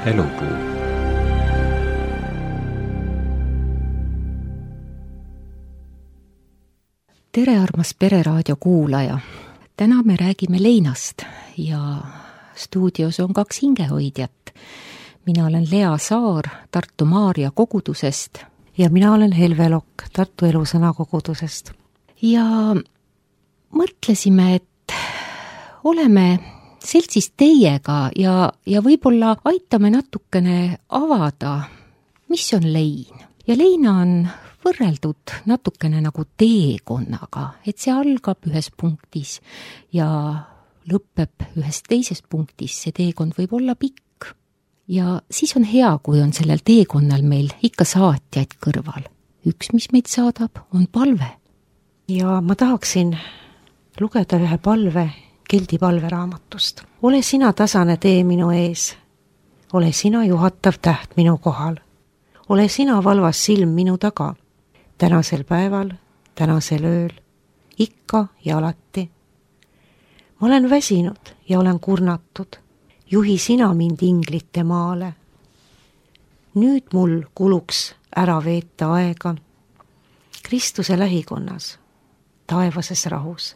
Elupuu. Tere, armas Pereraadio kuulaja! Täna me räägime leinast ja stuudios on 2 hingehoidjat. Mina olen Lea Saar Tartu Maarja kogudusest. Ja mina olen Helve Lokk Tartu Elusõna kogudusest. Ja mõtlesime, et oleme seltsis teiega ja võib-olla aitame natukene avada, mis on lein. Ja leina on võrreldud natukene nagu teekonnaga, et see algab ühes punktis ja lõpeb ühes teises punktis. See teekond võib olla pikk ja siis on hea, kui on sellel teekonnal meil ikka saatjaid kõrval. Üks, mis meid saadab, on palve. Ja ma tahaksin lugeda ühe palve Keldi palveraamatust. Ole sina tasane tee minu ees. Ole sina juhatav täht minu kohal. Ole sina valvas silm minu taga. Tänasel päeval, tänasel ööl, ikka ja alati. Ma olen väsinud ja olen kurnatud. Juhi sina mind inglite maale. Nüüd mul kuluks ära veeta aega Kristuse lähikonnas, taevases rahus.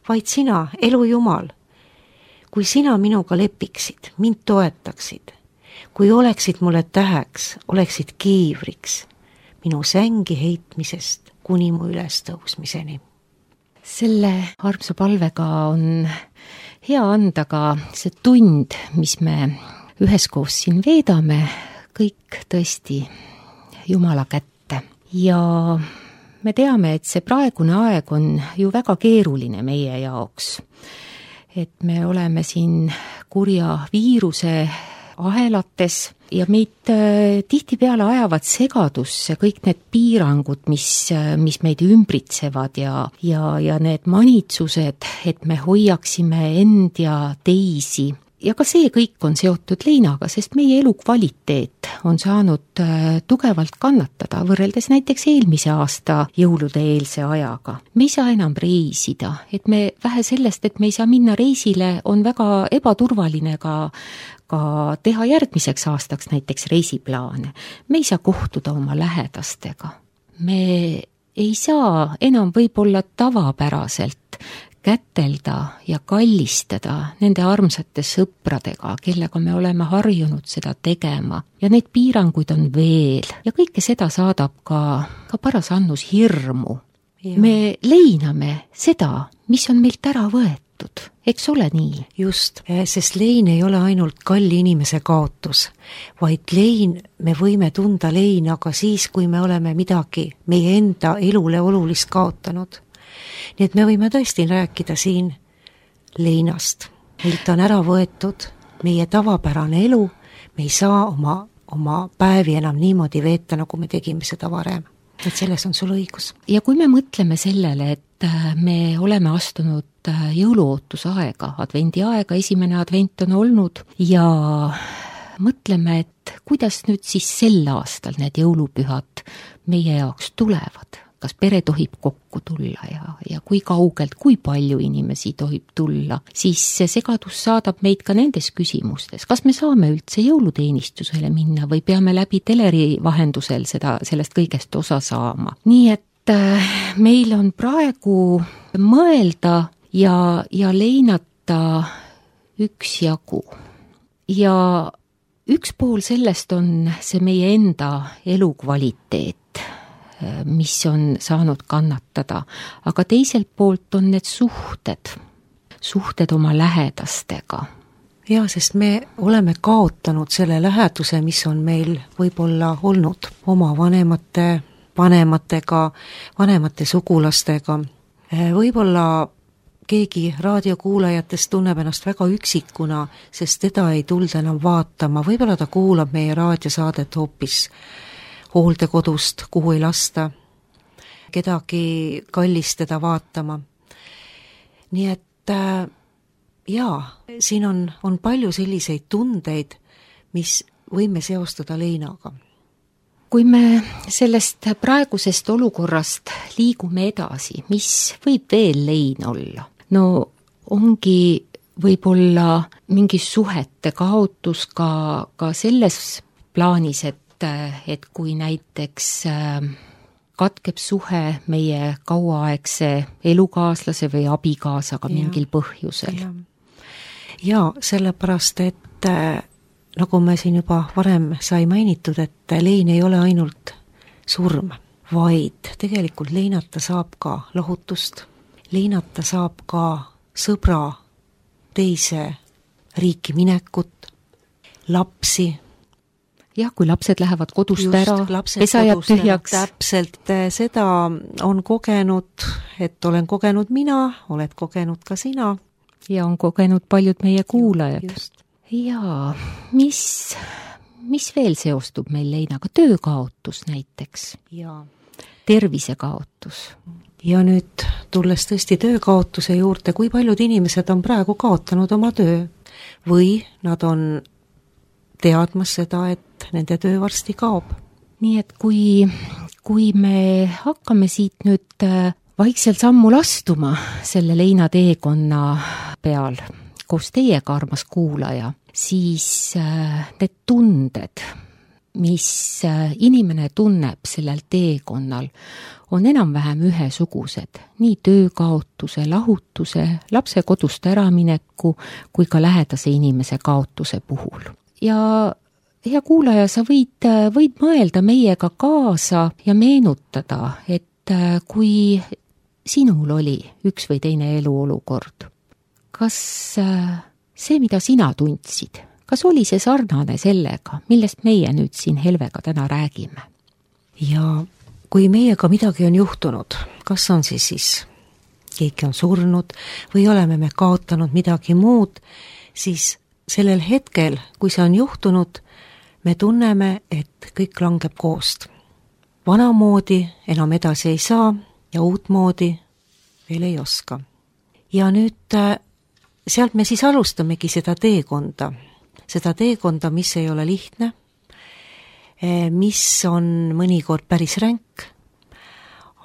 Vaid sina, elu Jumal, kui sina minuga lepiksid, mind toetaksid, kui oleksid mulle täheks, oleksid kiivriks, minu sängi heitmisest kuni mu üles tõusmiseni. Selle armsa palvega on hea anda ka see tund, mis me üheskoos siin veedame, kõik tõesti Jumala kätte. Ja me teame, et see praegune aeg on ju väga keeruline meie jaoks. Et me oleme siin kurja viiruse ahelates ja meid tihtipeale ajavad segadusse kõik need piirangud, mis meid ümbritsevad ja need manitsused, et me hoiaksime end ja teisi. Ja ka see kõik on seotud leinaga, sest meie elukvaliteet on saanud tugevalt kannatada võrreldes näiteks eelmise aasta jõulude eelse ajaga. Me ei saa enam reisida, et me vähe sellest, et me ei saa minna reisile, on väga ebaturvaline ka teha järgmiseks aastaks näiteks reisiplaane. Me ei saa kohtuda oma lähedastega. Me ei saa enam võib-olla tavapäraselt kätelda ja kallistada nende armsate sõpradega, kellega me oleme harjunud seda tegema. Ja neid piiranguid on veel ja kõike seda saadab ka paras annus hirmu. Ja. Me leiname seda, mis on meilt ära võetud. Eks ole nii? Just, sest lein ei ole ainult kalli inimese kaotus, vaid lein, me võime tunda leina ka siis, kui me oleme midagi meie enda elule olulist kaotanud. Nii et me võime tõesti rääkida siin leinast. Meilt on ära võetud meie tavapärane elu, me ei saa oma päevi enam niimoodi veeta, nagu me tegime seda varem. Et selles on sul õigus. Ja kui me mõtleme sellele, et me oleme astunud jõuluootusaega, advendiaega, esimene advent on olnud ja mõtleme, et kuidas nüüd siis sel aastal need jõulupühad meie jaoks tulevad. Kas pere tohib kokku tulla ja kui kaugelt, kui palju inimesi tohib tulla, siis see segadus saadab meid ka nendes küsimustes. Kas me saame üldse jõuluteenistusele minna või peame läbi teleri vahendusel sellest kõigest osa saama? Nii et meil on praegu mõelda ja leinata üksjagu. Ja üks pool sellest on see meie enda elukvaliteet, mis on saanud kannatada, aga teiselt poolt on need suhted oma lähedastega. Ja, sest me oleme kaotanud selle läheduse, mis on meil võib-olla olnud oma vanematega, vanemate sugulastega. Võib-olla keegi raadiokuulajatest tunneb ennast väga üksikuna, sest teda ei tulda enam vaatama. Võib-olla ta kuulab meie raadiosaadet hoopis hooldekodust, kuhu ei lasta kedagi kallist teda vaatama. Nii et siin on palju selliseid tundeid, mis võime seostada leinaga. Kui me sellest praegusest olukorrast liigume edasi, mis võib veel lein olla? No ongi võib-olla mingi suhete kaotus ka selles plaanis, et kui näiteks katkeb suhe meie kauaaegse elukaaslase või abikaasaga mingil põhjusel. Ja sellepärast, et nagu me siin juba varem sai mainitud, et lein ei ole ainult surm, vaid tegelikult leinata saab ka lohutust, leinata saab ka sõbra teise riiki minekut, lapsi. Jah, kui lapsed lähevad kodust ära, pesa jääb tühjaks. Täpselt, seda on kogenud, et olen kogenud mina, oled kogenud ka sina. Ja on kogenud paljud meie kuulajad. Jaa, mis veel seostub meil leinaga? Töökaotus näiteks. Ja. Tervisekaotus. Ja nüüd tulles tõesti töökaotuse juurde, kui paljud inimesed on praegu kaotanud oma töö või nad on teadmas seda, et nende töö varsti kaob. Nii et kui me hakkame siit nüüd vaikselt sammul astuma selle leinateekonna peal koos teiega, armas kuulaja, siis need tunded, mis inimene tunneb sellel teekonnal, on enam-vähem ühesugused, nii töökaotuse, lahutuse, lapse kodust äramineku kui ka lähedase inimese kaotuse puhul. Ja hea kuulaja, sa võid mõelda meiega kaasa ja meenutada, et kui sinul oli üks või teine eluolukord, kas see, mida sina tundsid, kas oli see sarnane sellega, millest meie nüüd siin Helvega täna räägime? Ja kui meiega midagi on juhtunud, kas on siis keegi on surnud või oleme me kaotanud midagi muud, siis sellel hetkel, kui see on juhtunud, me tunneme, et kõik langeb koost. Vanamoodi enam edasi ei saa ja uutmoodi veel ei oska. Ja nüüd sealt me siis alustamegi seda teekonda, mis ei ole lihtne, mis on mõnikord päris ränk,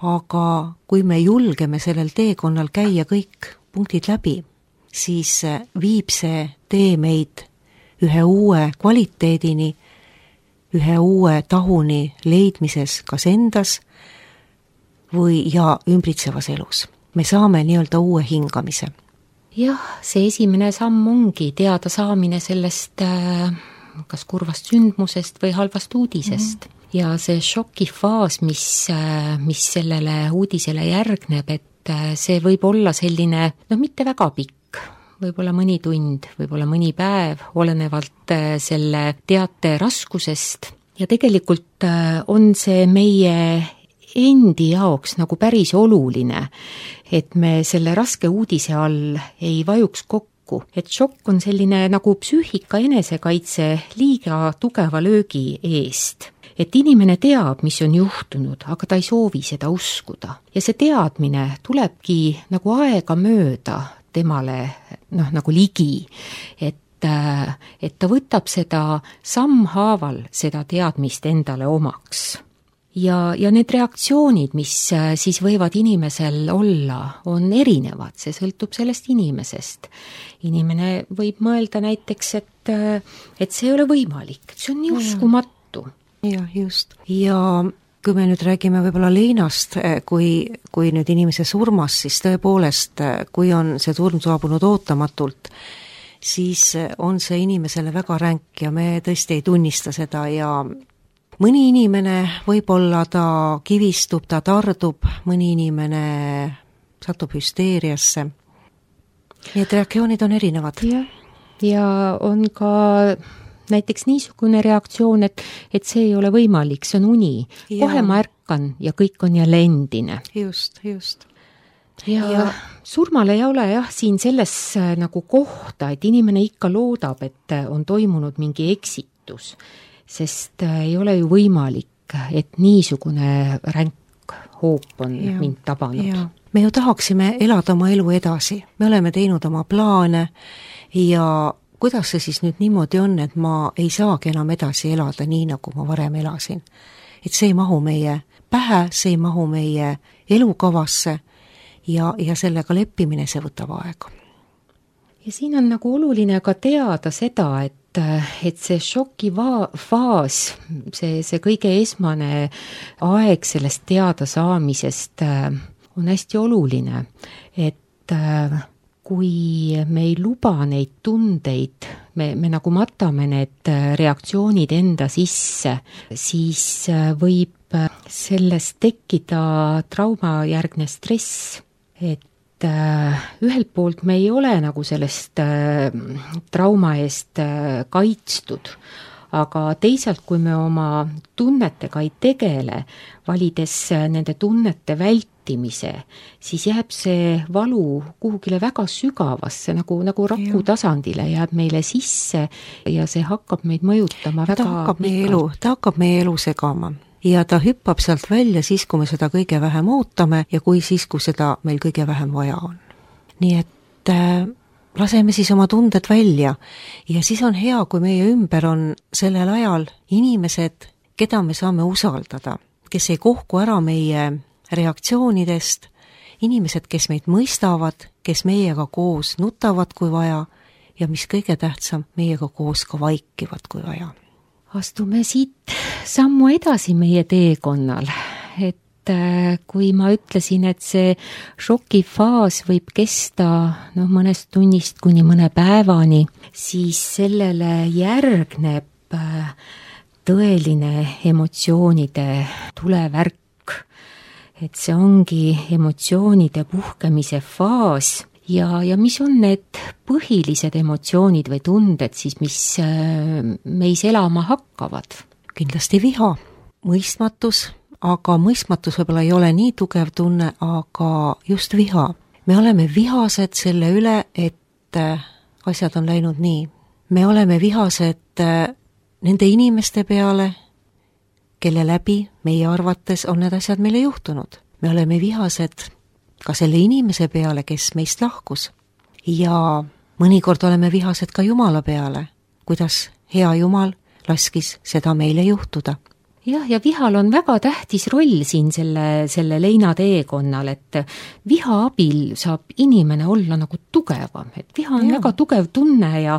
aga kui me julgeme sellel teekonnal käia kõik punktid läbi, siis viib see tee meid ühe uue kvaliteedini, ühe uue tahuni leidmises kas endas või ja ümbritsevas elus. Me saame nii-öelda uue hingamise. Jah, see esimene samm ongi teada saamine sellest kas kurvast sündmusest või halvast uudisest. Ja see šokifaas, mis sellele uudisele järgneb, et see võib olla selline, mitte väga pikk, võib-olla mõni tund, võib-olla mõni päev, olenevalt selle teate raskusest. Ja tegelikult on see meie endi jaoks nagu päris oluline, et me selle raske uudise all ei vajuks kokku. Et šokk on selline nagu psüühika enesekaitse liiga tugeva löögi eest. Et inimene teab, mis on juhtunud, aga ta ei soovi seda uskuda. Ja see teadmine tulebki nagu aega mööda temale nagu ligi, et ta võtab seda sammhaaval, seda teadmist endale omaks. Ja need reaktsioonid, mis siis võivad inimesel olla, on erinevad, see sõltub sellest inimesest. Inimene võib mõelda näiteks, et see ei ole võimalik, see on nii uskumatu. Ja just. Ja kui me nüüd räägime võib-olla leinast, kui nüüd inimese surmas, siis tõepoolest, kui on see surm saabunud ootamatult, siis on see inimesele väga ränk ja me tõesti ei tunnista seda ja mõni inimene võib-olla ta kivistub, ta tardub, mõni inimene satub hüsteeriasse. Need reaktsioonid on erinevad. Ja on ka näiteks niisugune reaktsioon, et see ei ole võimalik, see on uni. Kohe ma ärkan ja kõik on jälle endine. Just. Ja surmale ei ole siin selles nagu kohta, et inimene ikka loodab, et on toimunud mingi eksitus, sest ei ole ju võimalik, et niisugune ränk hoop on mind tabanud. Ja. Me ju tahaksime elada oma elu edasi, me oleme teinud oma plaane ja kuidas see siis nüüd niimoodi on, et ma ei saagi enam edasi elada nii, nagu ma varem elasin. Et see ei mahu meie pähe, see ei mahu meie elukavasse ja sellega leppimine, see võtab aega. ja siin on nagu oluline ka teada seda, et see šokifaas, see kõige esmane aeg sellest teadasaamisest on hästi oluline, et kui me ei luba neid tundeid, me nagu matame need reaktsioonid enda sisse, siis võib sellest tekkida traumajärgne stress, et ühelt poolt me ei ole nagu sellest trauma eest kaitstud, aga teisalt, kui me oma tunnetega ei tegele, valides nende tunnete vältimise, siis jääb see valu kuhugile väga sügavasse, nagu raku tasandile jääb meile sisse ja see hakkab meid mõjutama väga ta hakkab meie elu segama. Ja ta hüppab sealt välja siis, kui me seda kõige vähem ootame ja siis, kui seda meil kõige vähem vaja on. Nii et laseme siis oma tunded välja ja siis on hea, kui meie ümber on sellel ajal inimesed, keda me saame usaldada, kes ei kohku ära meie reaktsioonidest, inimesed, kes meid mõistavad, kes meiega koos nutavad, kui vaja ja mis kõige tähtsam, meiega koos ka vaikivad, kui vaja. Astume siit sammu edasi meie teekonnal, et kui ma ütlesin, et see šokifaas võib kesta mõnest tunnist kuni mõne päevani, siis sellele järgneb tõeline emotsioonide tulevärk, et see ongi emotsioonide puhkemise faas. Ja mis on need põhilised emotsioonid või tunded siis, mis meis elama hakkavad? Kindlasti viha, mõistmatus, aga mõistmatus võib-olla ei ole nii tugev tunne, aga just viha. Me oleme vihased selle üle, et asjad on läinud nii. Me oleme vihased nende inimeste peale, kelle läbi meie arvates on need asjad meile juhtunud. Me oleme vihased ka selle inimese peale, kes meist lahkus. Ja mõnikord oleme vihased ka Jumala peale, kuidas hea Jumal laskis seda meile juhtuda. Jah, ja vihal on väga tähtis roll siin selle leina teekonnal, et viha abil saab inimene olla nagu tugevam, et viha on väga tugev tunne ja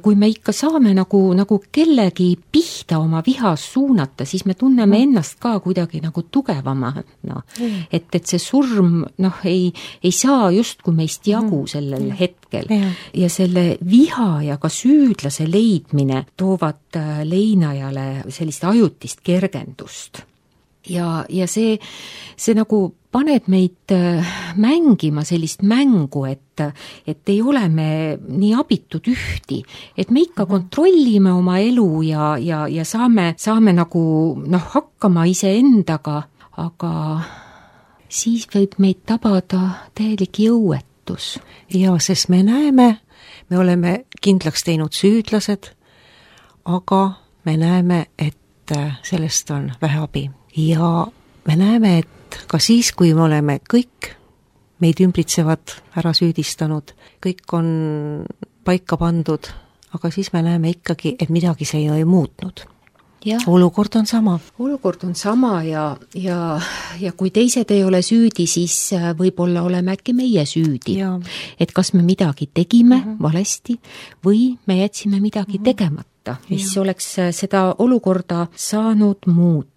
kui me ikka saame nagu kellegi pihta oma vihas suunata, siis me tunneme ennast ka kuidagi nagu tugevamana. Et see surm ei saa justkui meist jagu sellel hetkel. Ja selle viha ja ka süüdlase leidmine toovad leinajale sellist ajutist kergendust. Ja see nagu paneb meid mängima sellist mängu, et ei ole me nii abitud ühti, et me ikka kontrollime oma elu ja saame nagu hakkama iseendaga, aga siis võib meid tabada täielik jõuetus. Ja sest me näeme, me oleme kindlaks teinud süüdlased, aga me näeme, et sellest on vähe abi. Ja me näeme, et ka siis, kui me oleme kõik meid ümbritsevad ära süüdistanud, kõik on paika pandud, aga siis me näeme ikkagi, et midagi see ei muutnud. Ja. Olukord on sama. Olukord on sama ja kui teised ei ole süüdi, siis võib-olla oleme äkki meie süüdi. Ja. Et kas me midagi tegime valesti või me jätsime midagi tegemata, mis oleks seda olukorda saanud muuta.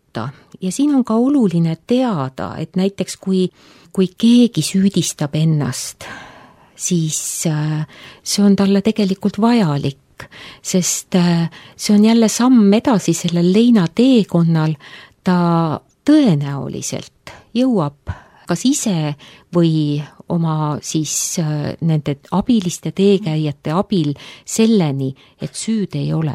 Ja siin on ka oluline teada, et näiteks kui keegi süüdistab ennast, siis see on talle tegelikult vajalik, sest see on jälle samm edasi sellel leina teekonnal, ta tõenäoliselt jõuab kas ise või oma siis nende abiliste teekäijate abil selleni, et süüd ei ole.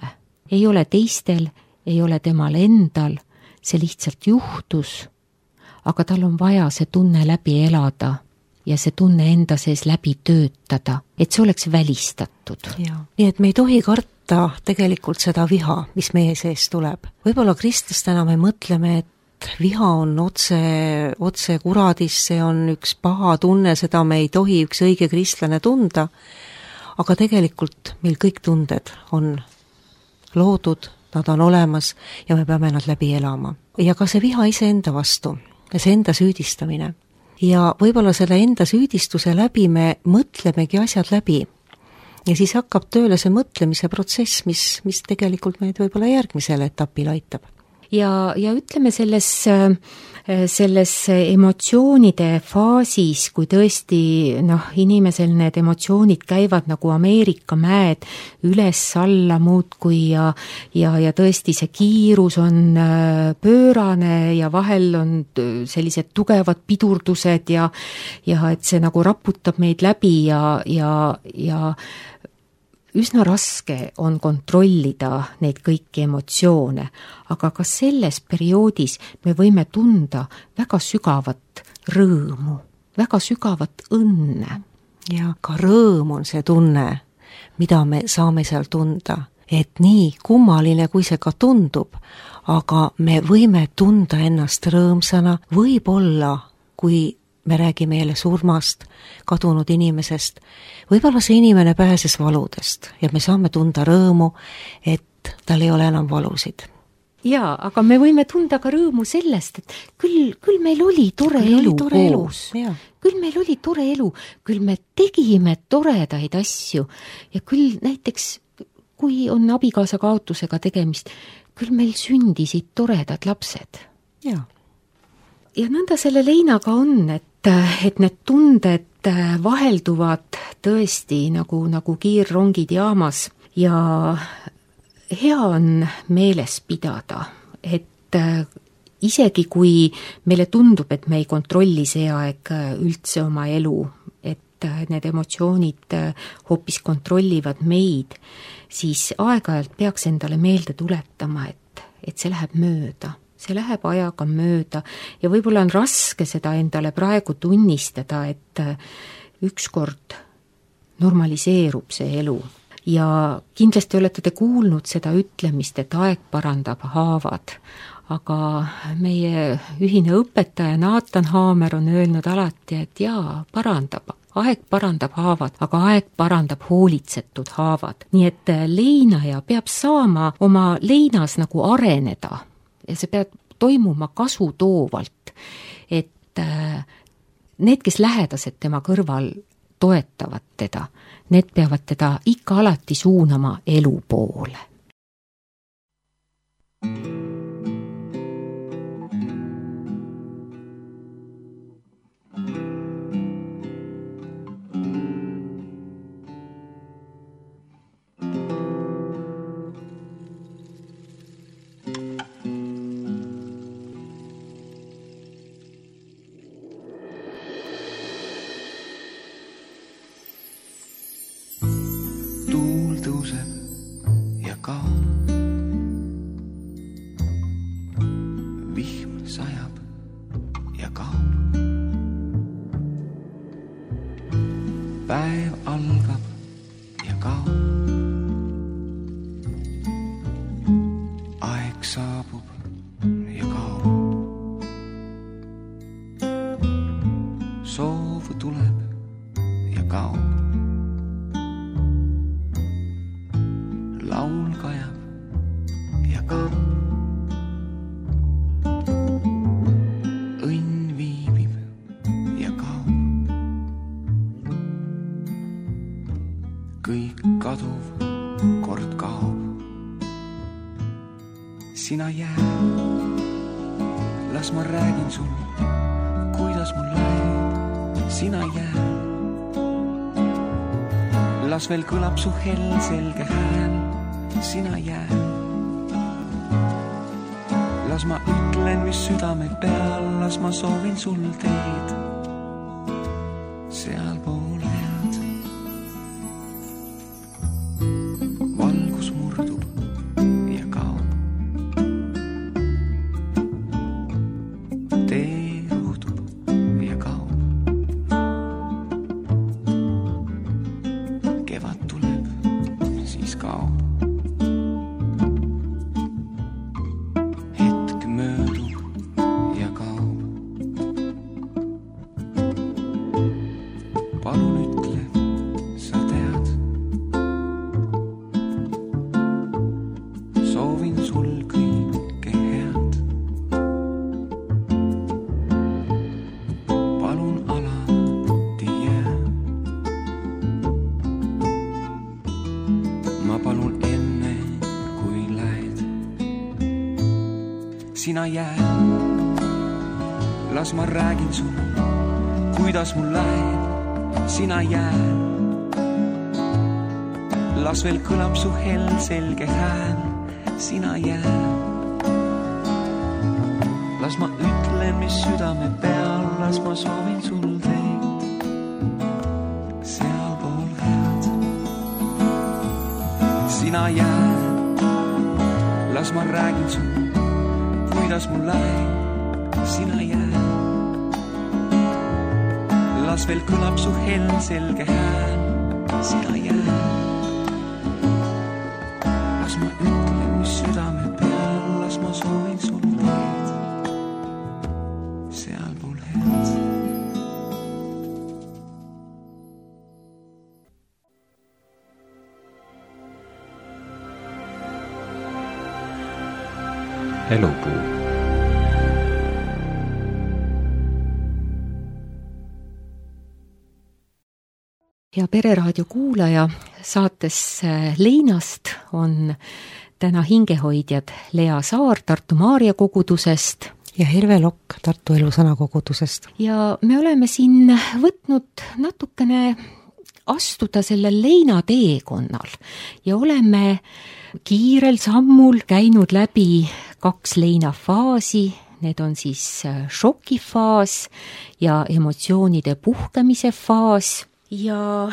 Ei ole teistel, ei ole temal endal, see lihtsalt juhtus, aga tal on vaja see tunne läbi elada ja see tunne enda sees läbi töötada, et see oleks välistatud. Nii et me ei tohi karta tegelikult seda viha, mis meie sees tuleb. Võib-olla kristlastena me mõtleme, et viha on otse kuradis, see on üks paha tunne, seda me ei tohi üks õige kristlane tunda, aga tegelikult meil kõik tunded on loodud, nad on olemas ja me peame nad läbi elama. Ja ka see viha iseenda vastu ja see enda süüdistamine. Ja võib-olla selle enda süüdistuse läbi me mõtlemegi asjad läbi ja siis hakkab tööle see mõtlemise protsess, mis tegelikult meid võib-olla järgmisele etapile aitab. Ja ütleme selles emotsioonide faasis, kui tõesti inimesel need emotsioonid käivad nagu Ameerika mäed üles-alla muudkui ja tõesti see kiirus on pöörane ja vahel on sellised tugevad pidurdused ja et see nagu raputab meid läbi ja üsna raske on kontrollida neid kõiki emotsioone, aga ka selles perioodis me võime tunda väga sügavat rõõmu, väga sügavat õnne. Ja ka rõõm on see tunne, mida me saame seal tunda, et nii kummaline, kui see ka tundub, aga me võime tunda ennast rõõmsana, võib-olla, kui me räägime jälle surmast, kadunud inimesest, võib-olla see inimene pääses valudest ja me saame tunda rõõmu, et tal ei ole enam valusid. Jaa, aga me võime tunda ka rõõmu sellest, et küll meil oli tore elu koos, küll meil oli tore elu, küll me tegime toredaid asju ja küll näiteks, kui on abikaasa kaotusega tegemist, küll meil sündisid toredad lapsed. Jaa. Ja nõnda selle leinaga on, et need tunded vahelduvad tõesti nagu kiirrongid jaamas ja hea on meeles pidada, et isegi kui meile tundub, et me ei kontrolli see aeg üldse oma elu, et need emotsioonid hoopis kontrollivad meid, siis aeg-ajalt peaks endale meelde tuletama, et see läheb mööda. See läheb ajaga mööda ja võib-olla on raske seda endale praegu tunnistada, et ükskord normaliseerub see elu. Ja kindlasti olete te kuulnud seda ütlemist, et aeg parandab haavad, aga meie ühine õpetaja Naatan Haamer on öelnud alati, et jaa, parandab. Aeg parandab haavad, aga aeg parandab hoolitsetud haavad. Nii et leinaja peab saama oma leinas nagu areneda. Ja see peab toimuma kasutoovalt, et need, kes lähedased tema kõrval toetavad teda, need peavad teda ikka alati suunama elu poole. Päev algab ja kaob. Aeg saabub ja kaob. Soov tuleb ja kaob. Laul kajab ja kaob. Õnn viibib ja kaob. Kõik kaduv kord kaob. Sina jää, las ma räägin sul, kuidas mul läheb. Sina jää, las veel kõlab su hell selge hääl. Sina jää, las ma ütlen, mis südame peal, las ma soovin sul teed sealpool. Palun ütle sina jää. Las ma räägin sulle, kuidas mul läheb, sina jää. Las veel kõlab su hell selge hääl, sina jää. Las ma ütlen, mis südame peal, las ma soovin sul teid sealpool head. Sina jää, las ma räägin sulle, kuidas mul läheb, sina jää. Las veel kõlab su hell selge hääl, sina jää. Las ma ütlen, mis südame peal, las ma soovin sul teid sealpool head. Elupuu. Ja Pereraadio kuulaja, saates Leinast on täna hingehoidjad Lea Saar Tartu Maarja kogudusest ja Herve Lokk Tartu Elusõna kogudusest. Ja me oleme siin võtnud natukene astuda sellel Leina teekonnal ja oleme kiirel sammul käinud läbi 2 Leina faasi. Need on siis šokifaas ja emotsioonide puhkemise faas. Ja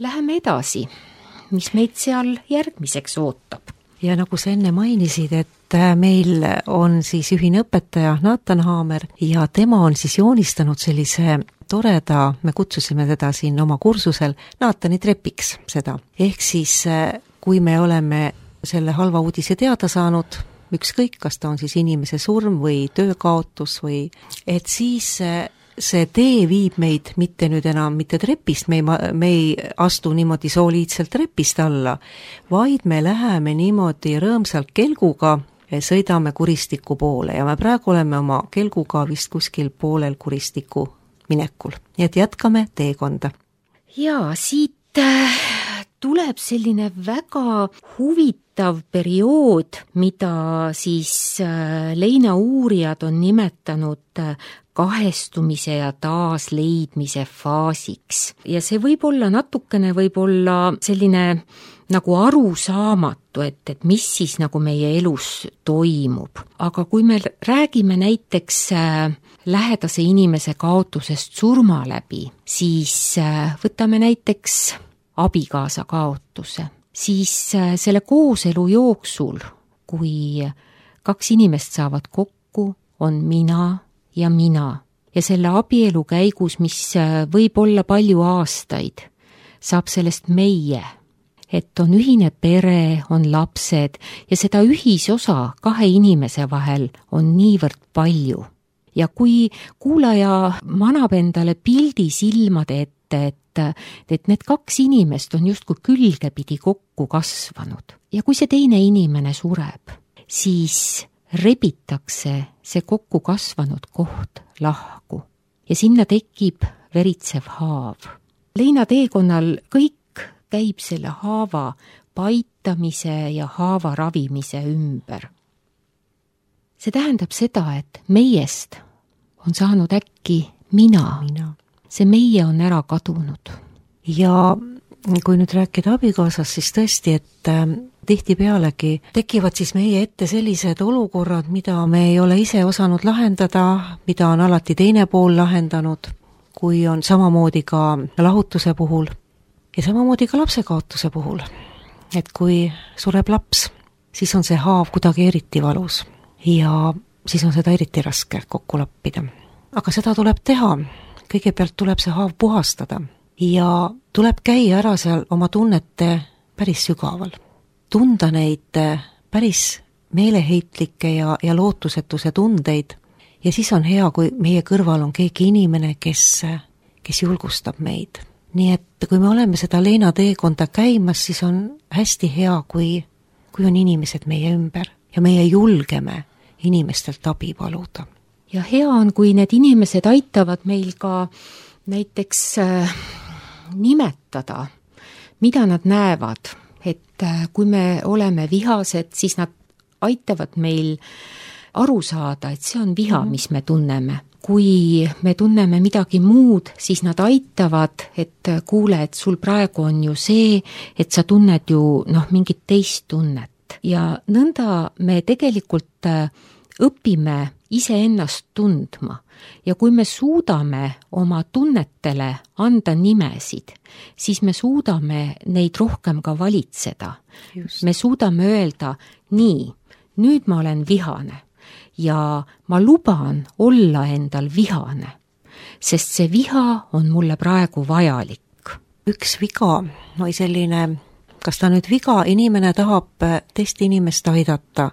läheme edasi, mis meid seal järgmiseks ootab. Ja nagu sa enne mainisid, et meil on siis ühine õpetaja Naatan Haamer ja tema on siis joonistanud sellise toreda, me kutsusime teda siin oma kursusel Naatani trepiks seda. Ehk siis, kui me oleme selle halva uudise teada saanud, ükskõik, kas ta on siis inimese surm või töökaotus või, et siis see tee viib meid mitte nüüd enam mitte trepist, me ei astu niimoodi soliidselt trepist alla, vaid me läheme niimoodi rõõmsalt kelguga, sõidame kuristiku poole ja me praegu oleme oma kelguga vist kuskil poolel kuristiku minekul. Nii et jätkame teekonda. Ja siit tuleb selline väga huvitav periood, mida siis Leina uurijad on nimetanud kahestumise ja taasleidmise faasiks. Ja see võib olla natukene selline nagu arusaamatu, et mis siis nagu meie elus toimub. Aga kui me räägime näiteks lähedase inimese kaotusest surma läbi, siis võtame näiteks abikaasa kaotuse. Siis selle kooselu jooksul, kui 2 inimest saavad kokku, on mina ja mina. Ja selle abielu käigus, mis võib olla palju aastaid, saab sellest meie. Et on ühine pere, on lapsed ja seda ühisosa 2 inimese vahel on niivõrd palju. Ja kui kuulaja manab endale pildi silmade ette, et need 2 inimest on justkui külgepidi kokku kasvanud ja kui see teine inimene sureb, siis rebitakse see kokku kasvanud koht lahku ja sinna tekib veritsev haav. Leina teekonnal kõik käib selle haava paitamise ja haava ravimise ümber. See tähendab seda, et meiest on saanud äkki mina. See meie on ära kadunud. Ja kui nüüd rääkida abikaasast, siis tõesti, et tihtipealegi tekivad siis meie ette sellised olukorrad, mida me ei ole ise osanud lahendada, mida on alati teine pool lahendanud, kui on samamoodi ka lahutuse puhul ja samamoodi ka lapsekaotuse puhul. Et kui sureb laps, siis on see haav kuidagi eriti valus ja siis on seda eriti raske kokku lappida. Aga seda tuleb teha. Kõigepealt tuleb see haav puhastada ja tuleb käia ära seal oma tunnete päris sügaval. Tunda neid päris meeleheitlikke ja lootusetuse tundeid ja siis on hea, kui meie kõrval on keegi inimene, kes julgustab meid. Nii et kui me oleme seda Leina teekonda käimas, siis on hästi hea, kui on inimesed meie ümber ja meie julgeme inimestelt abi paluda. Ja hea on, kui need inimesed aitavad meil ka näiteks nimetada, mida nad näevad. Et kui me oleme vihased, siis nad aitavad meil aru saada, et see on viha, mis me tunneme. Kui me tunneme midagi muud, siis nad aitavad, et kuule, et sul praegu on ju see, et sa tunned ju mingit teist tunnet. Ja nõnda me tegelikult õpime iseennast tundma. Ja kui me suudame oma tunnetele anda nimesid, siis me suudame neid rohkem ka valitseda. Just. Me suudame öelda, nii, nüüd ma olen vihane. Ja ma luban olla endal vihane, sest see viha on mulle praegu vajalik. Üks viga, või selline, kas ta nüüd viga, inimene tahab teist inimest aidata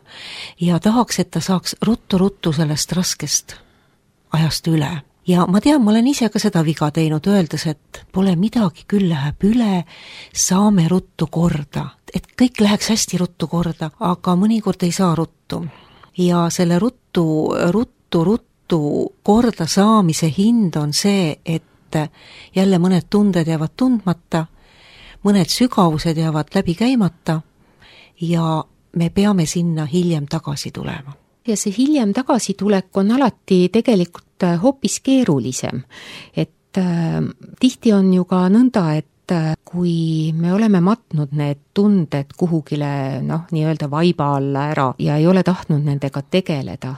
ja tahaks, et ta saaks ruttu sellest raskest ajast üle. Ja ma tean, ma olen ise ka seda viga teinud, öeldes, et pole midagi, küll läheb üle, saame ruttu korda. Et kõik läheks hästi ruttu korda, aga mõnikord ei saa ruttu. Ja selle ruttu korda saamise hind on see, et jälle mõned tunded jäävad tundmata, mõned sügavused jäävad läbi käimata ja me peame sinna hiljem tagasi tulema. Ja see hiljem tagasitulek on alati tegelikult hoopis keerulisem. Et tihti on ju ka nõnda, et kui me oleme matnud need tunded kuhugile nii-öelda vaiba alla ära ja ei ole tahtnud nendega tegeleda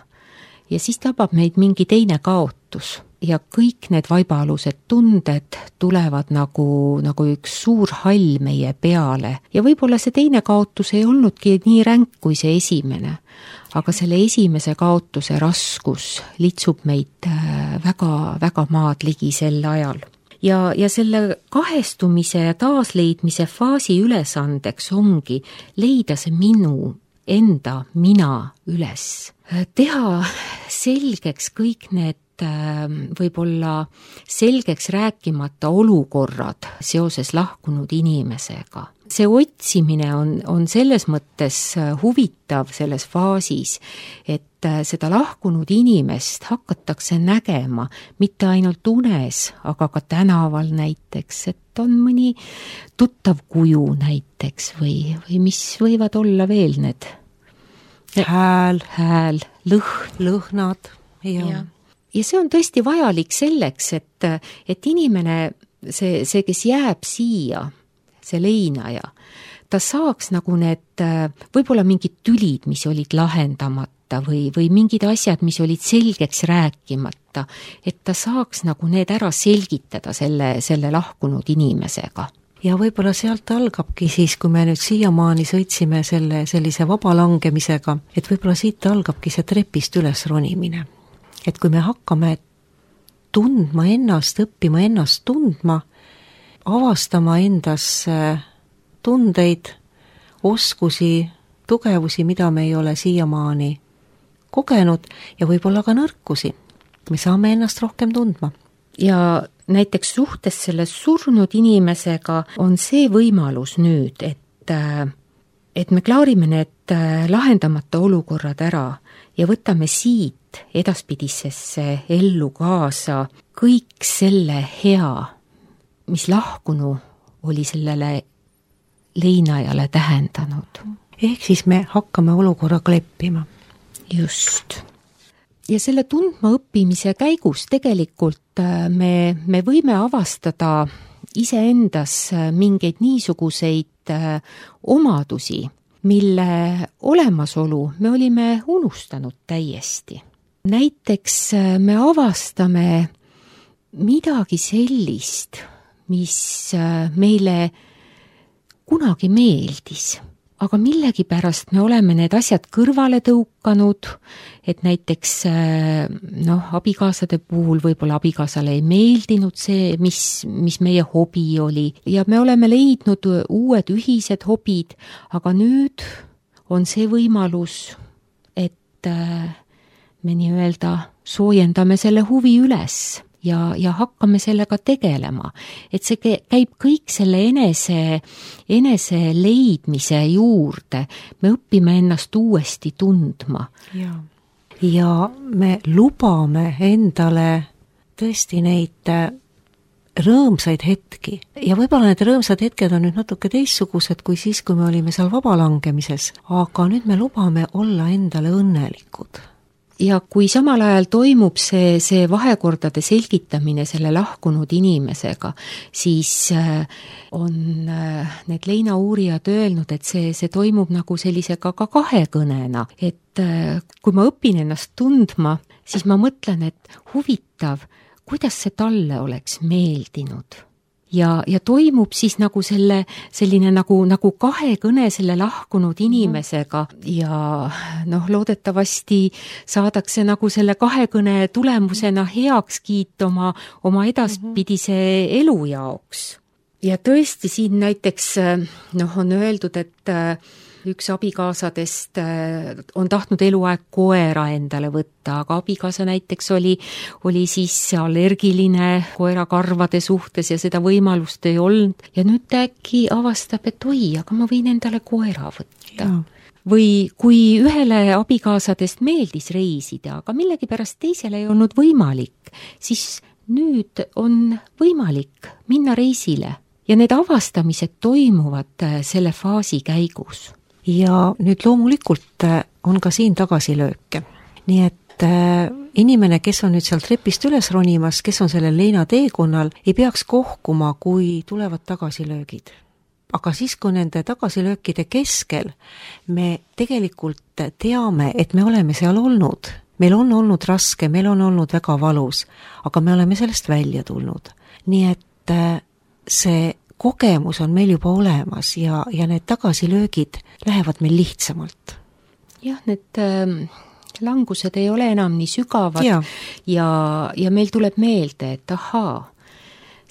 ja siis tabab meid mingi teine kaotus ja kõik need vaibaalused tunded tulevad nagu üks suur hall meie peale ja võib-olla see teine kaotus ei olnudki nii ränk kui see esimene, aga selle esimese kaotuse raskus litsub meid väga maad ligi sel ajal. Ja selle kahestumise ja taasleidmise faasi ülesandeks ongi leida see minu enda mina üles. Teha selgeks kõik need võib-olla selgeks rääkimata olukorrad seoses lahkunud inimesega. See otsimine on selles mõttes huvitav selles faasis, et seda lahkunud inimest hakatakse nägema mitte ainult unes, aga ka tänaval näiteks, et on mõni tuttav kuju näiteks või mis võivad olla veel need hääl, lõhnad ja see on tõesti vajalik selleks, et inimene, see, kes jääb siia, see leinaja, ta saaks nagu need võib-olla mingid tülid, mis olid lahendamata või mingid asjad, mis olid selgeks rääkimata, et ta saaks nagu need ära selgitada selle lahkunud inimesega. Ja võib-olla sealt algabki siis, kui me nüüd siiamaani sõitsime sellise vabalangemisega, et võib-olla siit algabki see trepist üles ronimine. Et kui me hakkame tundma ennast, õppima ennast tundma, avastama endas tundeid, oskusi, tugevusi, mida me ei ole siiamaani kogenud ja võib-olla ka nõrkusi, me saame ennast rohkem tundma. Ja näiteks suhtes selle surnud inimesega on see võimalus nüüd, et me klaarime need lahendamata olukorrad ära ja võtame siit edaspidisesse ellu kaasa kõik selle hea, mis lahkunu oli sellele leinajale tähendanud. Ehk siis me hakkame olukorraga leppima. Just. Ja selle tundma õppimise käigus tegelikult me võime avastada iseendas mingeid niisuguseid omadusi, mille olemasolu me olime unustanud täiesti. Näiteks me avastame midagi sellist, mis meile kunagi meeldis, aga millegipärast me oleme need asjad kõrvale tõukanud, et näiteks abikaasade puhul võib-olla abikaasale ei meeldinud see, mis meie hobi oli ja me oleme leidnud uued ühised hobid, aga nüüd on see võimalus, et me nii-öelda soojendame selle huvi üles ja hakkame sellega tegelema. Et see käib kõik selle enese leidmise juurde. Me õpime ennast uuesti tundma. Ja me lubame endale tõesti neid rõõmsaid hetki. Ja võib-olla need rõõmsad hetked on nüüd natuke teistsugused kui siis, kui me olime seal vabalangemises. Aga nüüd me lubame olla endale õnnelikud. ja kui samal ajal toimub see vahekordade selgitamine selle lahkunud inimesega, siis on need leinauurijad öelnud, et see toimub nagu sellisega ka kahekõnena, et kui ma õpin ennast tundma, siis ma mõtlen, et huvitav, kuidas see talle oleks meeldinud. Ja toimub siis nagu selline nagu kahekõne selle lahkunud inimesega ja loodetavasti saadakse nagu selle kahekõne tulemusena heakskiit oma edaspidise elu jaoks. Ja tõesti siin näiteks on öeldud, et üks abikaasadest on tahtnud eluaeg koera endale võtta, aga abikaasa näiteks oli siis allergiline koerakarvade suhtes ja seda võimalust ei olnud. Ja nüüd äkki avastab, et oi, aga ma võin endale koera võtta. Ja. Või kui ühele abikaasadest meeldis reisida, aga millegipärast teisele ei olnud võimalik, siis nüüd on võimalik minna reisile. Ja need avastamised toimuvad selle faasi käigus. Ja nüüd loomulikult on ka siin tagasilööke. Nii et inimene, kes on nüüd seal trepist üles ronimas, kes on sellel leinateekonnal, ei peaks kohkuma, kui tulevad tagasilöögid. Aga siis, kui nende tagasilöökide keskel me tegelikult teame, et me oleme seal olnud, meil on olnud raske, meil on olnud väga valus, aga me oleme sellest välja tulnud. Nii et see kogemus on meil juba olemas ja need tagasilöögid lähevad meil lihtsamalt. Jah, need langused ei ole enam nii sügavad ja meil tuleb meelde, et ahaa,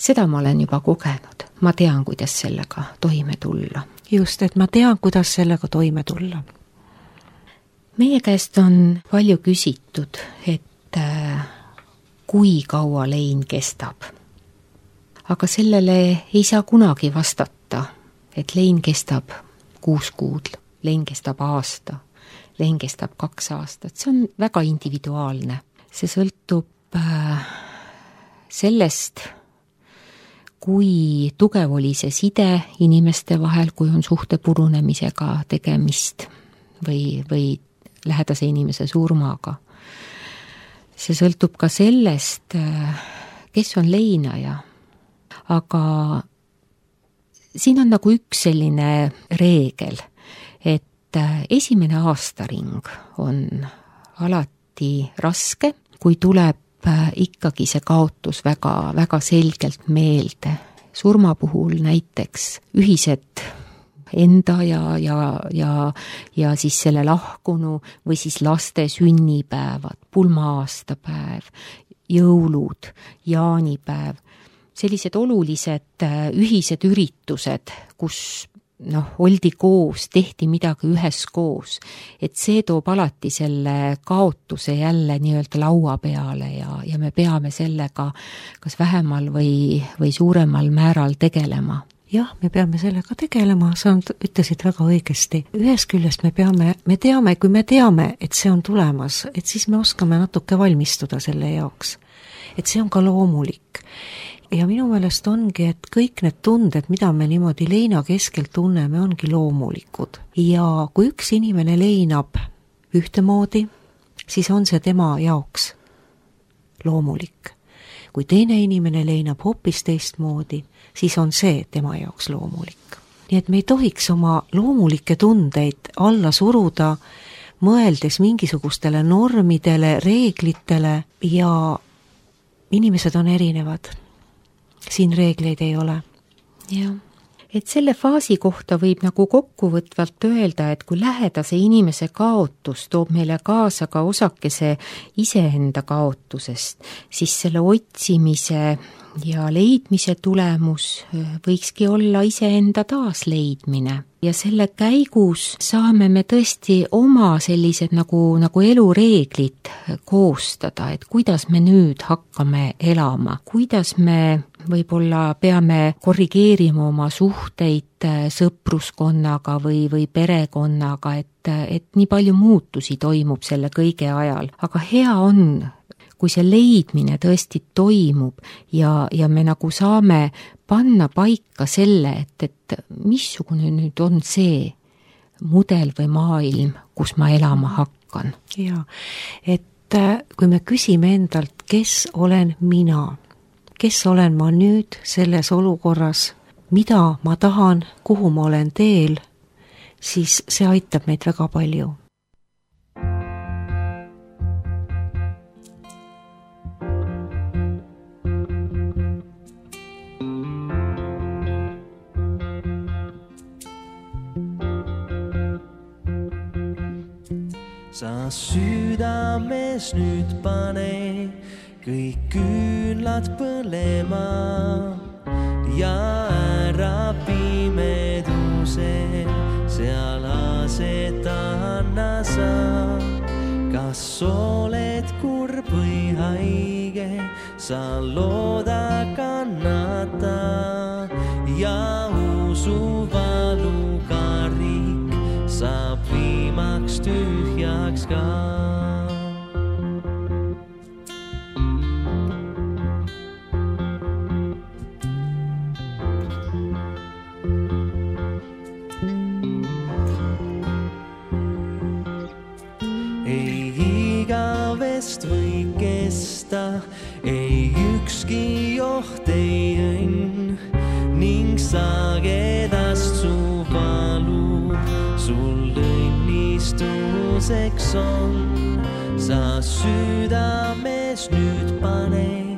seda ma olen juba kogenud. Ma tean, kuidas sellega toime tulla. Just, et ma tean, kuidas sellega toime tulla. Meie käest on palju küsitud, et kui kaua lein kestab. Aga sellele ei saa kunagi vastata, et lein kestab 6 kuud, lein kestab aasta, lein kestab 2 aastat. See on väga individuaalne. See sõltub sellest, kui tugev oli see side inimeste vahel, kui on suhte purunemisega tegemist või lähedase inimese surmaga. See sõltub ka sellest, kes on leinaja. Aga siin on nagu üks selline reegel, et esimene aastaring on alati raske, kui tuleb ikkagi see kaotus väga, väga selgelt meelde. Surma puhul näiteks ühised enda ja siis selle lahkunu või siis laste sünnipäevad, pulma-aastapäev, jõulud, jaanipäev, sellised olulised ühised üritused, kus oldi koos, tehti midagi üheskoos, et see toob alati selle kaotuse jälle nii-öelda laua peale ja me peame sellega kas vähemal või suuremal määral tegelema. Jah, me peame sellega tegelema, sa ütlesid väga õigesti. Ühest küljest me teame, kui me teame, et see on tulemas, et siis me oskame natuke valmistuda selle jaoks. Et see on ka loomulik. Ja minu meelest ongi, et kõik need tunded, mida me niimoodi leina keskel tunneme, ongi loomulikud. Ja kui üks inimene leinab ühtemoodi, siis on see tema jaoks loomulik. Kui teine inimene leinab hoopis teistmoodi, siis on see tema jaoks loomulik. Nii et me ei tohiks oma loomulikke tundeid alla suruda, mõeldes mingisugustele normidele, reeglitele ja inimesed on erinevad. Siin reegleid ei ole. Jah, et selle faasi kohta võib nagu kokkuvõtvalt öelda, et kui lähedase inimese kaotus toob meile kaasa ka osakese iseenda kaotusest, siis selle otsimise ja leidmise tulemus võikski olla iseenda taasleidmine. Ja selle käigus saame me tõesti oma sellised nagu elureeglid koostada, et kuidas me nüüd hakkame elama, kuidas me võib-olla peame korrigeerima oma suhteid sõpruskonnaga või perekonnaga, et nii palju muutusi toimub selle kõige ajal. Aga hea on, kui see leidmine tõesti toimub ja me nagu saame panna paika selle, et missugune nüüd on see mudel või maailm, kus ma elama hakkan. Ja, et kui me küsime endalt, kes olen mina, kes olen ma nüüd selles olukorras, mida ma tahan, kuhu ma olen teel, siis see aitab meid väga palju. Sa südames nüüd pane kõik küünlad põlema ja ära pimeduse seal asetanna sa. Kas oled kurb või haige, sa looda kannata ja usu valuga riik saab viimaks tühjaks ka. Ei igavest või kesta, ei ükski joht ei õnn ning sagedast su valu sul õnnistuseks on. Sa südames nüüd pane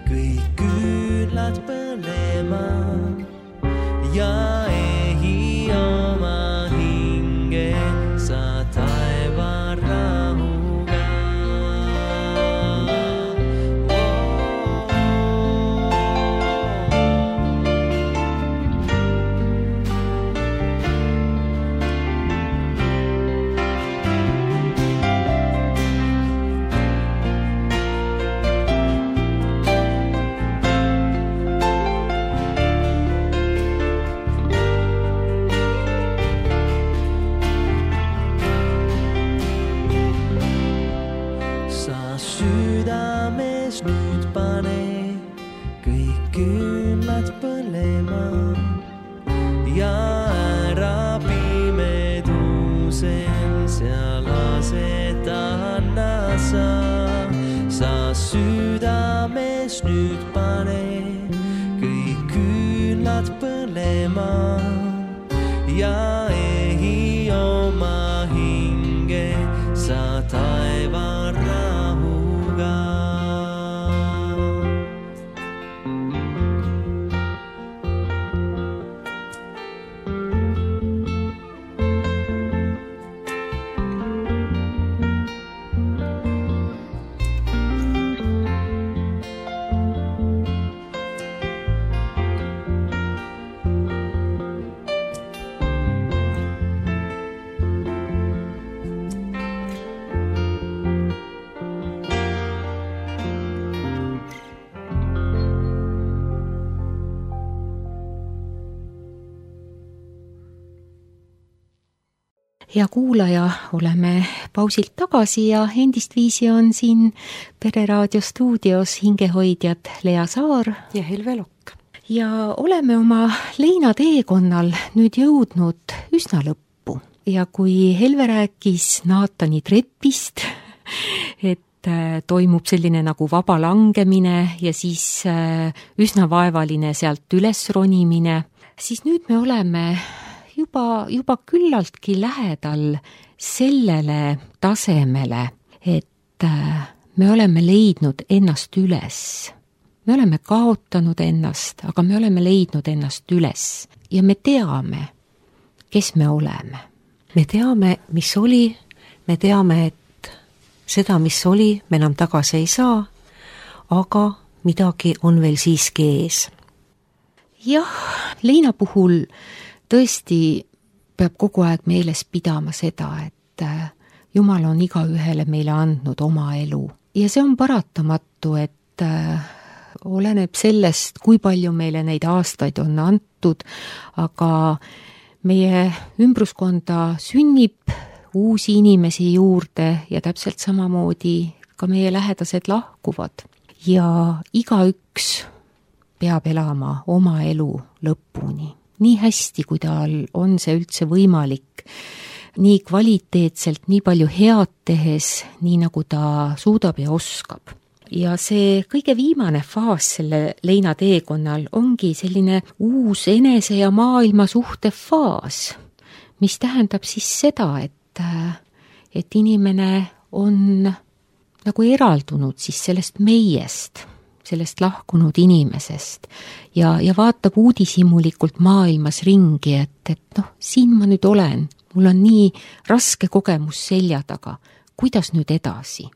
kõik küünlad põlema ja ehi oma hinge sa taeva rahuga. Südames nüüd pane kõik küünlad põlema ja ära pimedusel seal asetanna sa. Sa südames nüüd pane kõik küünlad põlema ja ehi oma hinge sa taeva rahuga. Hea kuulaja, oleme pausilt tagasi ja endistviisi on siin Pereraadio stuudios hingehoidjad Lea Saar ja Helve Lokk. Ja oleme oma leinateekonnal nüüd jõudnud üsna lõppu. Ja kui Helve rääkis Naatani trepist, et toimub selline nagu vaba langemine ja siis üsna vaevaline sealt üles ronimine, siis nüüd me oleme juba küllaltki lähedal sellele tasemele, et me oleme leidnud ennast üles. Me oleme kaotanud ennast, aga me oleme leidnud ennast üles ja me teame, kes me oleme. Me teame, mis oli, me teame, et seda, mis oli, me enam tagasi ei saa, aga midagi on veel siiski ees. Jah, leina puhul tõesti peab kogu aeg meeles pidama seda, et Jumal on igaühele meile andnud oma elu. Ja see on paratamatu, et oleneb sellest, kui palju meile neid aastaid on antud, aga meie ümbruskonda sünnib uusi inimesi juurde ja täpselt samamoodi ka meie lähedased lahkuvad. Ja igaüks peab elama oma elu lõpuni. Nii hästi, kui tal on see üldse võimalik. nii kvaliteetselt, nii palju head tehes, nii nagu ta suudab ja oskab. Ja see kõige viimane faas selle leinateekonnal ongi selline uus enese ja maailma suhte faas, mis tähendab siis seda, et inimene on nagu eraldunud siis sellest meiest, sellest lahkunud inimesest ja vaatab uudishimulikult maailmas ringi, et siin ma nüüd olen, mul on nii raske kogemus selja taga, kuidas nüüd edasi?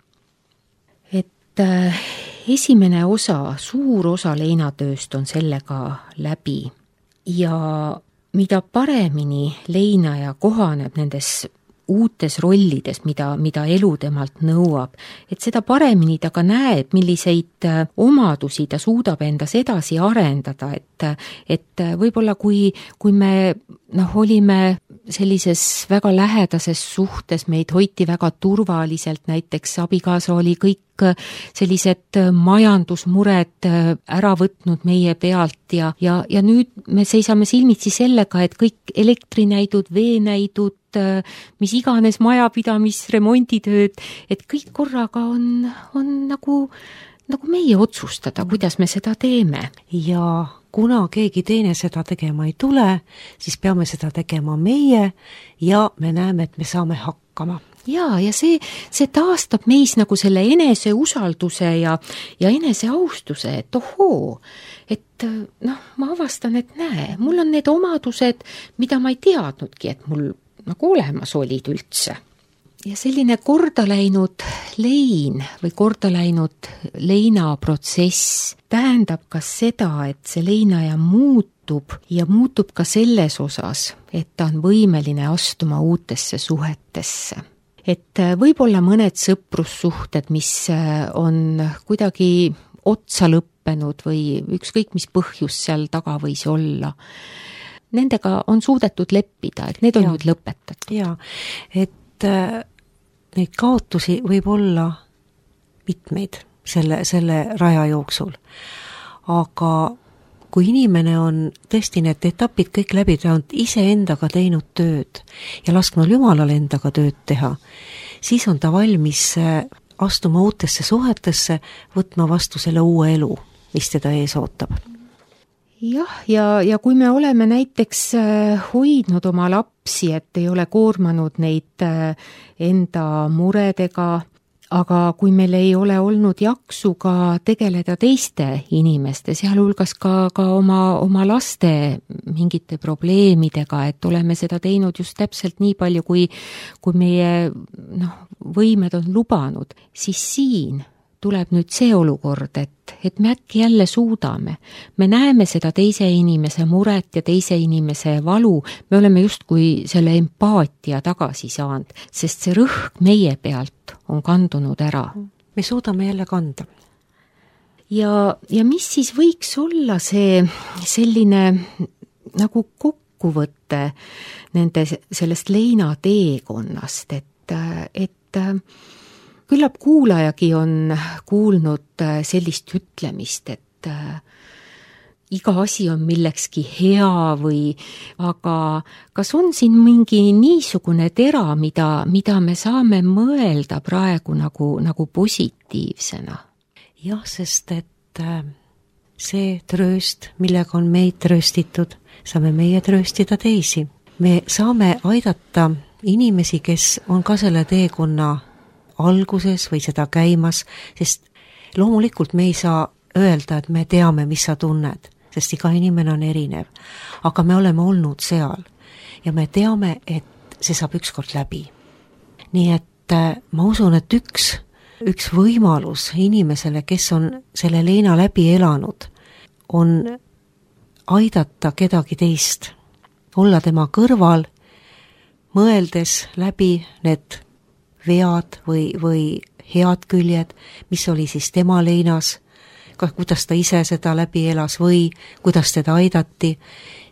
Esimene osa, suur osa leinatööst on sellega läbi ja mida paremini leinaja kohaneb nendes uutes rollides, mida elu temalt nõuab, et seda paremini ta ka näeb, milliseid omadusi ta suudab endas edasi arendada, et võib-olla kui me olime sellises väga lähedases suhtes, meid hoiti väga turvaliselt, näiteks abikaasa oli kõik sellised majandusmured ära võtnud meie pealt ja nüüd me seisame silmitsi sellega, et kõik elektrinäidud, veenäidud, mis iganes majapidamisremonditööd, et kõik korraga on nagu meie otsustada, kuidas me seda teeme. Ja kuna keegi teine seda tegema ei tule, siis peame seda tegema meie ja me näeme, et me saame hakkama. Ja see taastab meis nagu selle enese usalduse ja enese austuse, et ohoo, et ma avastan, et näe, mul on need omadused, mida ma ei teadnudki, et mul nagu olemas olid üldse. Ja selline kordaläinud lein või kordaläinud leinaprotsess tähendab ka seda, et see leinaja muutub ja muutub ka selles osas, et ta on võimeline astuma uutesse suhetesse. Et võib-olla mõned sõprussuhted, mis on kuidagi otsa lõppenud või ükskõik mis põhjus seal taga võis olla, nendega on suudetud leppida, et need on nüüd lõpetatud. Jaa, et neid kaotusi võib olla mitmeid selle raja jooksul. Aga kui inimene on tõesti need etapid kõik läbi teinud, iseendaga teinud tööd ja lasknud Jumalal endaga tööd teha, siis on ta valmis astuma uutesse suhetesse, võtma vastu selle uue elu, mis teda ees ootab. Jah, ja kui me oleme näiteks hoidnud oma lapsi, et ei ole koormanud neid enda muredega, aga kui meil ei ole olnud jaksu ka tegeleda teiste inimeste, sealhulgas ka oma laste mingite probleemidega, et oleme seda teinud just täpselt nii palju, kui meie võimed on lubanud, siis siin tuleb nüüd see olukord, et me äkki jälle suudame. Me näeme seda teise inimese muret ja teise inimese valu, me oleme justkui selle empaatia tagasi saanud, sest see rõhk meie pealt on kandunud ära. Me suudame jälle kanda. Ja mis siis võiks olla see selline nagu kokkuvõte nende sellest leinateekonnast, et küllap kuulajagi on kuulnud sellist ütlemist, et iga asi on millekski hea aga kas on siin mingi niisugune tera, mida me saame mõelda praegu nagu positiivsena? Jah, sest et see trööst, millega on meid trööstitud, saame meie trööstida teisi. Me saame aidata inimesi, kes on ka selle teekonna alguses või seda käimas, sest loomulikult me ei saa öelda, et me teame, mis sa tunned, sest iga inimene on erinev. Aga me oleme olnud seal ja me teame, et see saab ükskord läbi. Nii et ma usun, et üks võimalus inimesele, kes on selle leina läbi elanud, on aidata kedagi teist, olla tema kõrval, mõeldes läbi need vead või head küljed, mis oli siis tema leinas, kuidas ta ise seda läbi elas või kuidas teda aidati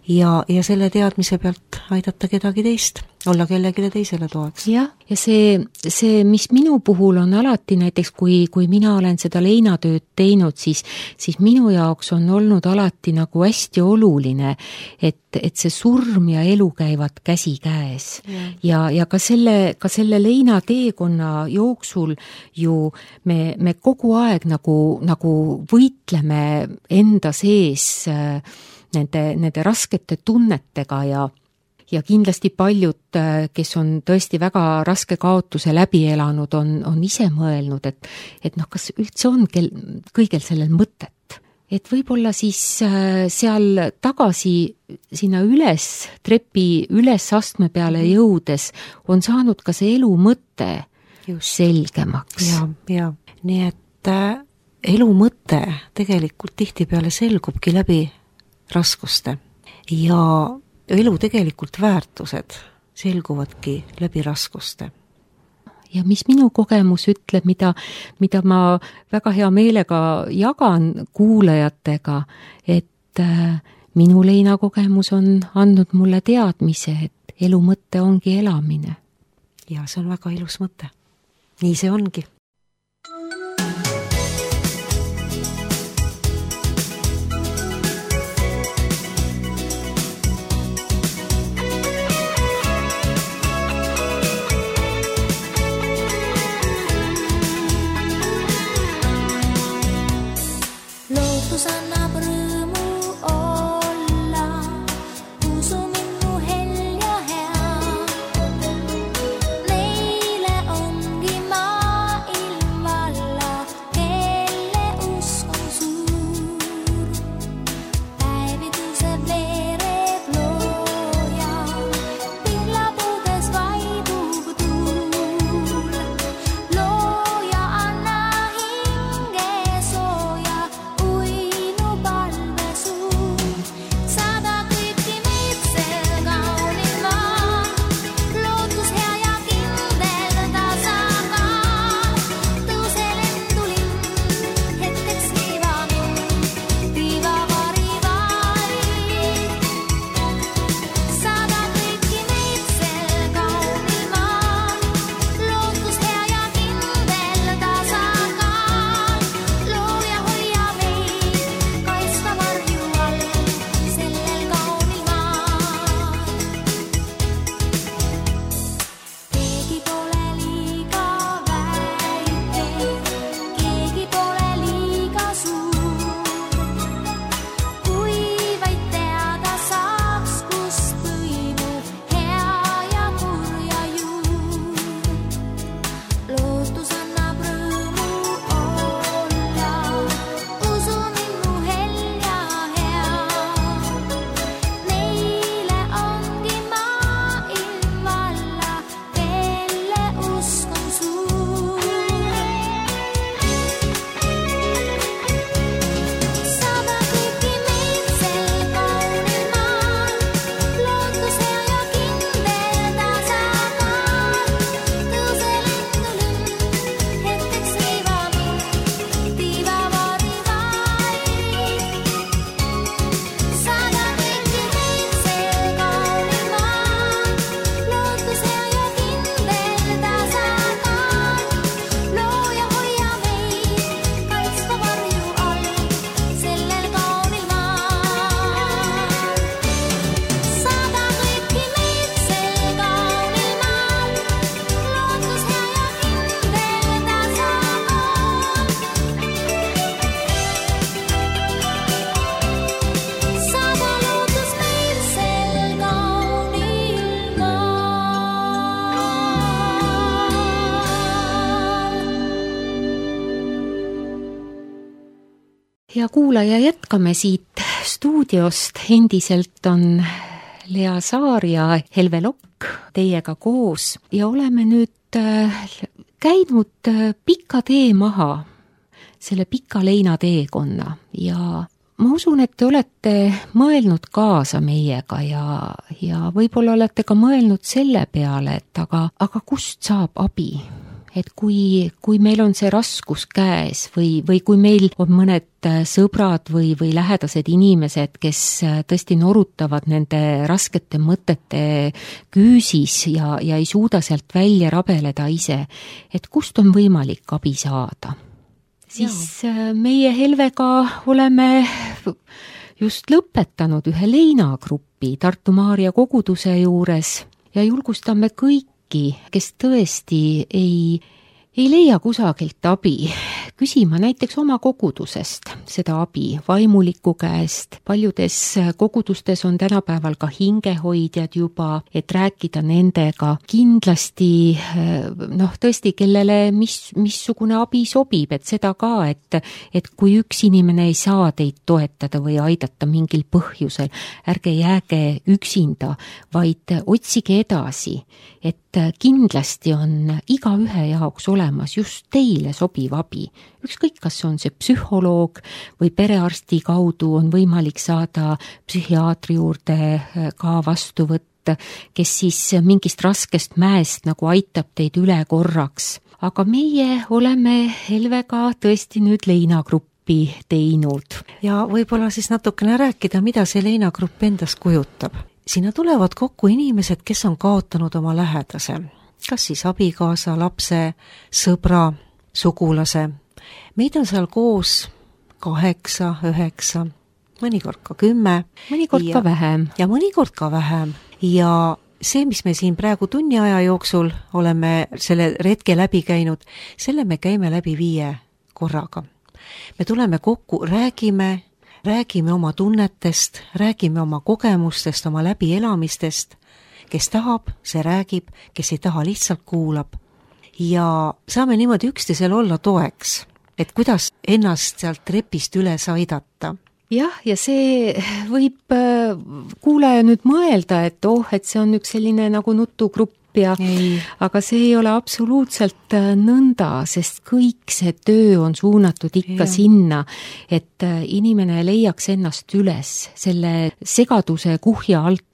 ja selle teadmise pealt aidata kedagi teist, olla kellegile teisele toeks. jah, ja see, mis minu puhul on alati näiteks, kui mina olen seda leinatööd teinud, siis minu jaoks on olnud alati nagu hästi oluline, et see surm ja elu käivad käsikäes. Ja ka selle leinateekonna jooksul ju me kogu aeg nagu võitleme enda sees nende raskete tunnetega ja kindlasti paljud, kes on tõesti väga raske kaotuse läbi elanud, on ise mõelnud, et kas üldse on kõigel sellel mõtet. Et võib-olla siis seal tagasi sinna trepi üles astme peale jõudes on saanud ka see elu mõte selgemaks. Ja. Nii et elu mõte tegelikult tihtipeale selgubki läbi raskuste ja elu tegelikult väärtused selguvadki läbi raskuste. Ja mis minu kogemus ütleb, mida ma väga hea meelega jagan kuulajatega, et minu leinakogemus on andnud mulle teadmise, et elu mõte ongi elamine. Ja see on väga ilus mõte. Nii see ongi. Ja kuulaja, jätkame siit stuudiost. Endiselt on Lea Saar ja Helve Lokk teiega koos ja oleme nüüd käinud pika tee maha, selle pika leinateekonna ja ma usun, et te olete mõelnud kaasa meiega ja võib-olla olete ka mõelnud selle peale, et aga kust saab abi? et kui meil on see raskus käes või kui meil on mõned sõbrad või lähedased inimesed, kes tõesti norutavad nende raskete mõtete küüsis ja ei suuda sealt välja rabeleda ise, et kust on võimalik abi saada, siis meie Helvega oleme just lõpetanud ühe leinagrupi Tartu Maarja koguduse juures ja julgustame kõiki, kes tõesti ei leia kusagilt abi, küsima näiteks oma kogudusest seda abi vaimuliku käest. Paljudes kogudustes on tänapäeval ka hingehoidjad juba, et rääkida nendega. Kindlasti tõesti, kellele missugune abi sobib, et seda ka, et kui üks inimene ei saa teid toetada või aidata mingil põhjusel, ärge jääge üksinda, vaid otsige edasi, et kindlasti on igaühe jaoks olemas just teile sobiv abi. Ükskõik, kas on see psühholoog või perearsti kaudu on võimalik saada psühhiaatri juurde ka vastuvõtt, kes siis mingist raskest mäest nagu aitab teid üle korraks. Aga meie oleme Helvega tõesti nüüd leinagrupi teinud. Ja võib-olla siis natukene rääkida, mida see leinagrupp endast kujutab. Sinna tulevad kokku inimesed, kes on kaotanud oma lähedase, kas siis abikaasa, lapse, sõbra, sugulase. Meid on seal koos 8, 9, mõnikord ka 10. Mõnikord ka vähem. Ja mõnikord ka vähem. Ja see, mis me siin praegu tunni aja jooksul oleme selle retke läbi käinud, selle me käime läbi 5 korraga. Me tuleme kokku, räägime oma tunnetest, räägime oma kogemustest, oma läbielamistest. Kes tahab, see räägib, kes ei taha, lihtsalt kuulab. Ja saame niimoodi üksteisel olla toeks, et kuidas ennast sealt trepist üles aidata. Jah, ja see võib kuulaja nüüd mõelda, et see on üks selline nagu nutugrupp, aga see ei ole absoluutselt nõnda, sest kõik see töö on suunatud ikka sinna, et inimene leiaks ennast üles selle segaduse kuhja alt,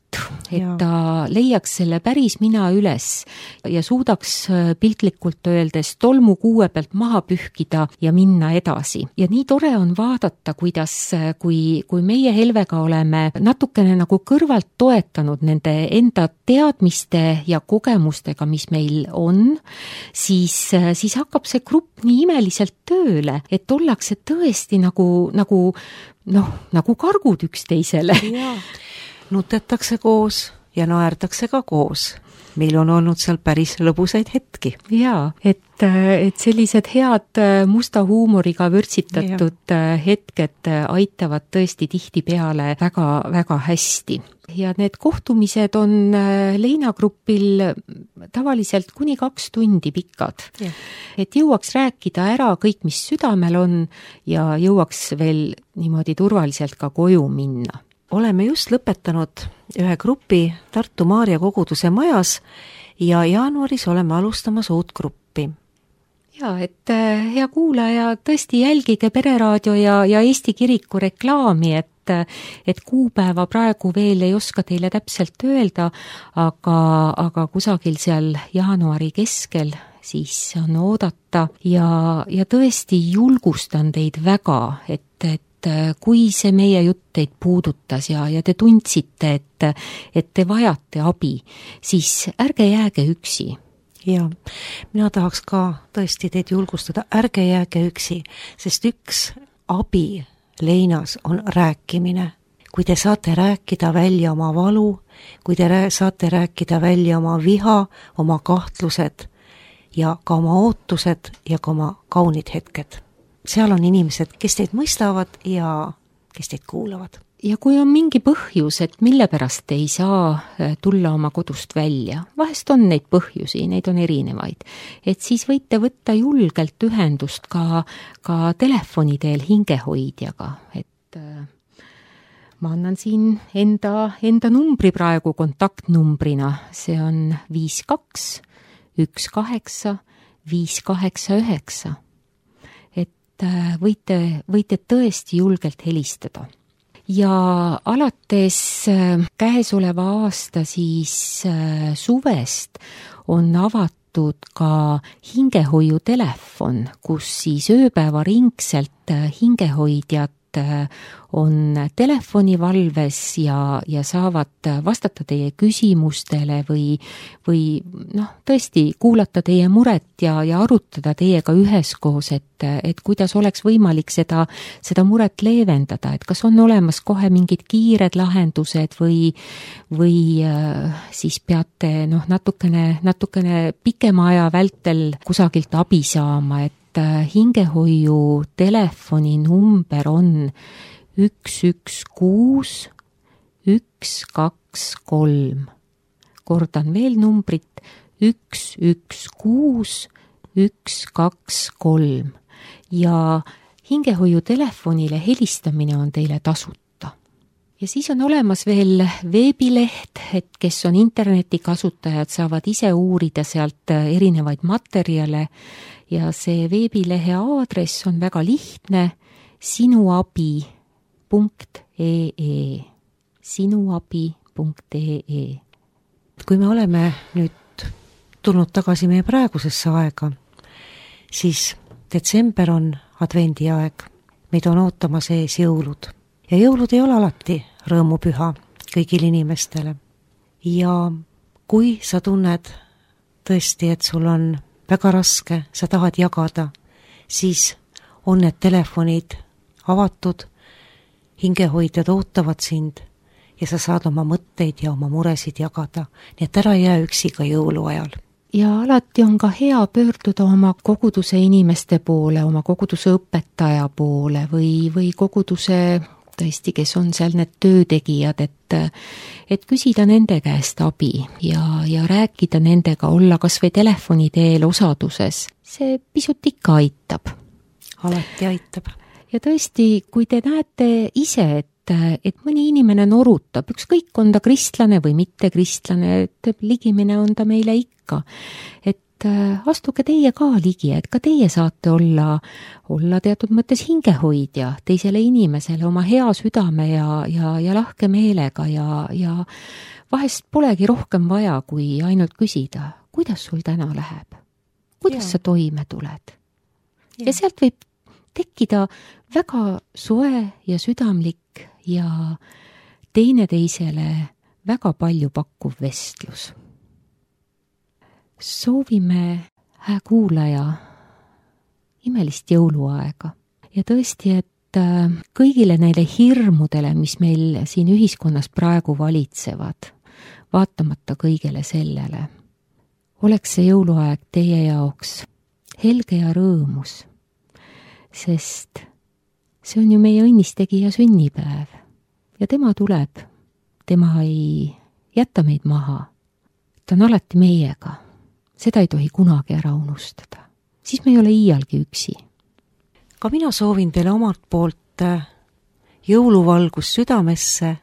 et ta leiaks selle päris mina üles ja suudaks piltlikult öeldes tolmu kuue pealt maha pühkida ja minna edasi. Ja nii tore on vaadata, kuidas, kui meie Helvega oleme natukene nagu kõrvalt toetanud nende enda teadmiste ja kogemustega, mis meil on, siis hakkab see grupp nii imeliselt tööle, et ollakse tõesti nagu kargud üksteisele. Nutetakse koos ja naerdakse ka koos. Meil on olnud seal päris lõbusaid hetki. Jaa, et sellised head musta huumoriga vürtsitatud hetked aitavad tõesti tihtipeale väga, väga hästi. Ja need kohtumised on leinagrupil tavaliselt kuni 2 tundi pikad. Et jõuaks rääkida ära kõik, mis südamel on ja jõuaks veel niimoodi turvaliselt ka koju minna. Oleme just lõpetanud ühe grupi Tartu Maarja koguduse majas ja jaanuaris oleme alustamas uut gruppi. Ja, et hea kuulaja, tõesti jälgige Pereraadio ja Eesti Kiriku reklaami, et kuupäeva praegu veel ei oska teile täpselt öelda, aga kusagil seal jaanuari keskel siis on oodata ja tõesti julgustan teid väga, et kui see meie jutt teid puudutas ja te tundsite, et te vajate abi, siis ärge jääge üksi. Ja, mina tahaks ka tõesti teid julgustada, ärge jääge üksi, sest üks abi leinas on rääkimine. Kui te saate rääkida välja oma valu, kui te saate rääkida välja oma viha, oma kahtlused ja ka oma ootused ja ka oma kaunid hetked. Seal on inimesed, kes teid mõistavad ja kes teid kuulavad. Ja kui on mingi põhjus, et mille pärast ei saa tulla oma kodust välja, vahest on neid põhjusi, neid on erinevaid, et siis võite võtta julgelt ühendust ka telefoni teel hingehoidjaga, et ma annan siin enda numbri praegu kontaktnumbrina, see on 52 18 589. Võite tõesti julgelt helistada. Ja alates käesoleva aasta siis suvest on avatud avatud ka hingehoiutelefon, kus siis ööpäevaringselt hingehoidjad on telefonivalves ja saavad vastata teie küsimustele või tõesti kuulata teie muret ja arutada teiega üheskoos, et kuidas oleks võimalik seda muret leevendada, et kas on olemas kohe mingid kiired lahendused või siis peate natukene pikema aja vältel kusagilt abi saama, et hingehoiu telefoni number on 116 123. Kordan veel numbrit 116 123 ja hingehoiu telefonile helistamine on teile tasuta. Ja siis on olemas veel veebileht, et kes on internetikasutajad, saavad ise uurida sealt erinevaid materjale ja see veebilehe aadress on väga lihtne, sinuabi.ee. sinuabi.ee. Kui me oleme nüüd tulnud tagasi meie praegusesse aega, siis detsember on advendiaeg. Meid on ootamas ees jõulud. Ja jõulud ei ole alati rõõmupüha kõigile inimestele. Ja kui sa tunned tõesti, et sul on väga raske, sa tahad jagada, siis on need telefonid avatud, hingehoidjad ootavad sind ja sa saad oma mõtteid ja oma muresid jagada. Nii et ära jää üksi ka jõuluajal. Ja alati on ka hea pöörduda oma koguduse inimeste poole, oma koguduse õpetaja poole või koguduse tõesti, kes on seal need töötegijad, et küsida nende käest abi ja rääkida nendega, olla kas või telefoni teel osaduses. See pisut ikka aitab. Alati aitab. Ja tõesti, kui te näete ise, et mõni inimene norutab, ükskõik on ta kristlane või mitte kristlane, et ligimine on ta meile ikka, et astuge teie ka ligi, et ka teie saate olla teatud mõttes hingehoidja teisele inimesele oma hea südame ja lahke meelega ja vahest polegi rohkem vaja, kui ainult küsida, kuidas sul täna läheb, kuidas sa toime tuled. Ja sealt võib tekkida väga soe ja südamlik ja teineteisele väga palju pakkuv vestlus. Soovime, hää kuulaja, imelist jõuluaega ja tõesti, et kõigile neile hirmudele, mis meil siin ühiskonnas praegu valitsevad, vaatamata kõigele sellele, oleks see jõuluaeg teie jaoks helge ja rõõmus, sest see on ju meie õnnistegija sünnipäev ja tema tuleb, tema ei jäta meid maha, ta on alati meiega. Seda ei tohi kunagi ära unustada. Siis me ei ole iialgi üksi. Ka mina soovin teile omalt poolt jõuluvalgus südamesse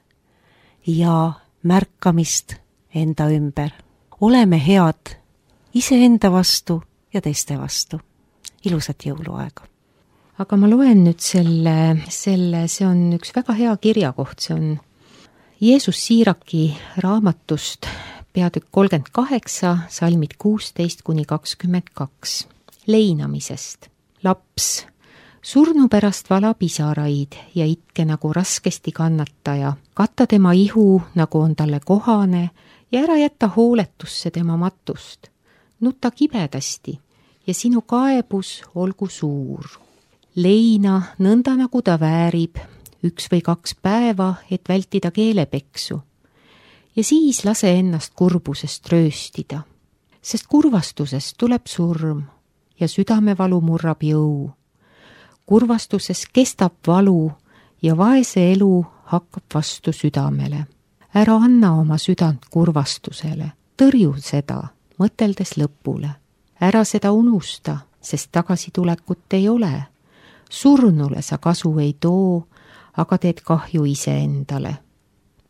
ja märkamist enda ümber. Oleme head iseenda vastu ja teiste vastu. Ilusat jõuluaega. Aga ma loen nüüd see on üks väga hea kirjakoht, see on Jeesus Siiraki raamatust peatükk 38, salmid 16-22. Leinamisest. Laps, surnu pärast vala pisaraid ja itke nagu raskesti kannataja. Katta tema ihu, nagu on talle kohane ja ära jätta hooletusse tema matust. Nuta kibedasti ja sinu kaebus olgu suur. Leina nõnda nagu ta väärib 1 või 2 päeva, et vältida keelepeksu. Ja siis lase ennast kurbusest rööstida, sest kurvastusest tuleb surm ja südamevalu murrab jõu. Kurvastuses kestab valu ja vaese elu hakkab vastu südamele. Ära anna oma südant kurvastusele, tõrju seda, mõteldes lõpule. Ära seda unusta, sest tagasitulekut ei ole. Surnule sa kasu ei too, aga teed kahju iseendale.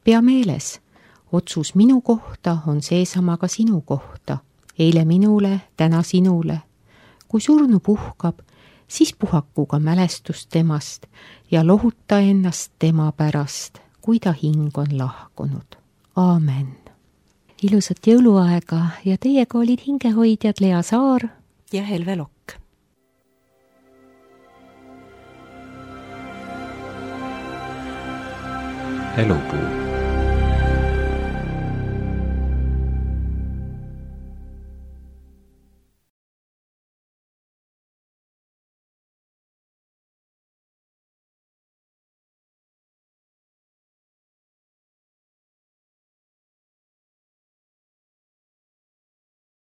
Pea meeles, otsus minu kohta on seesama ka sinu kohta. Eile minule, täna sinule. Kui surnu puhkab, siis puhaku ka mälestust temast ja lohuta ennast tema pärast, kui ta hing on lahkunud. Aamen. ilusat jõuluaega ja teiega olid hingehoidjad Lea Saar ja Helve Lokk. Elupuu.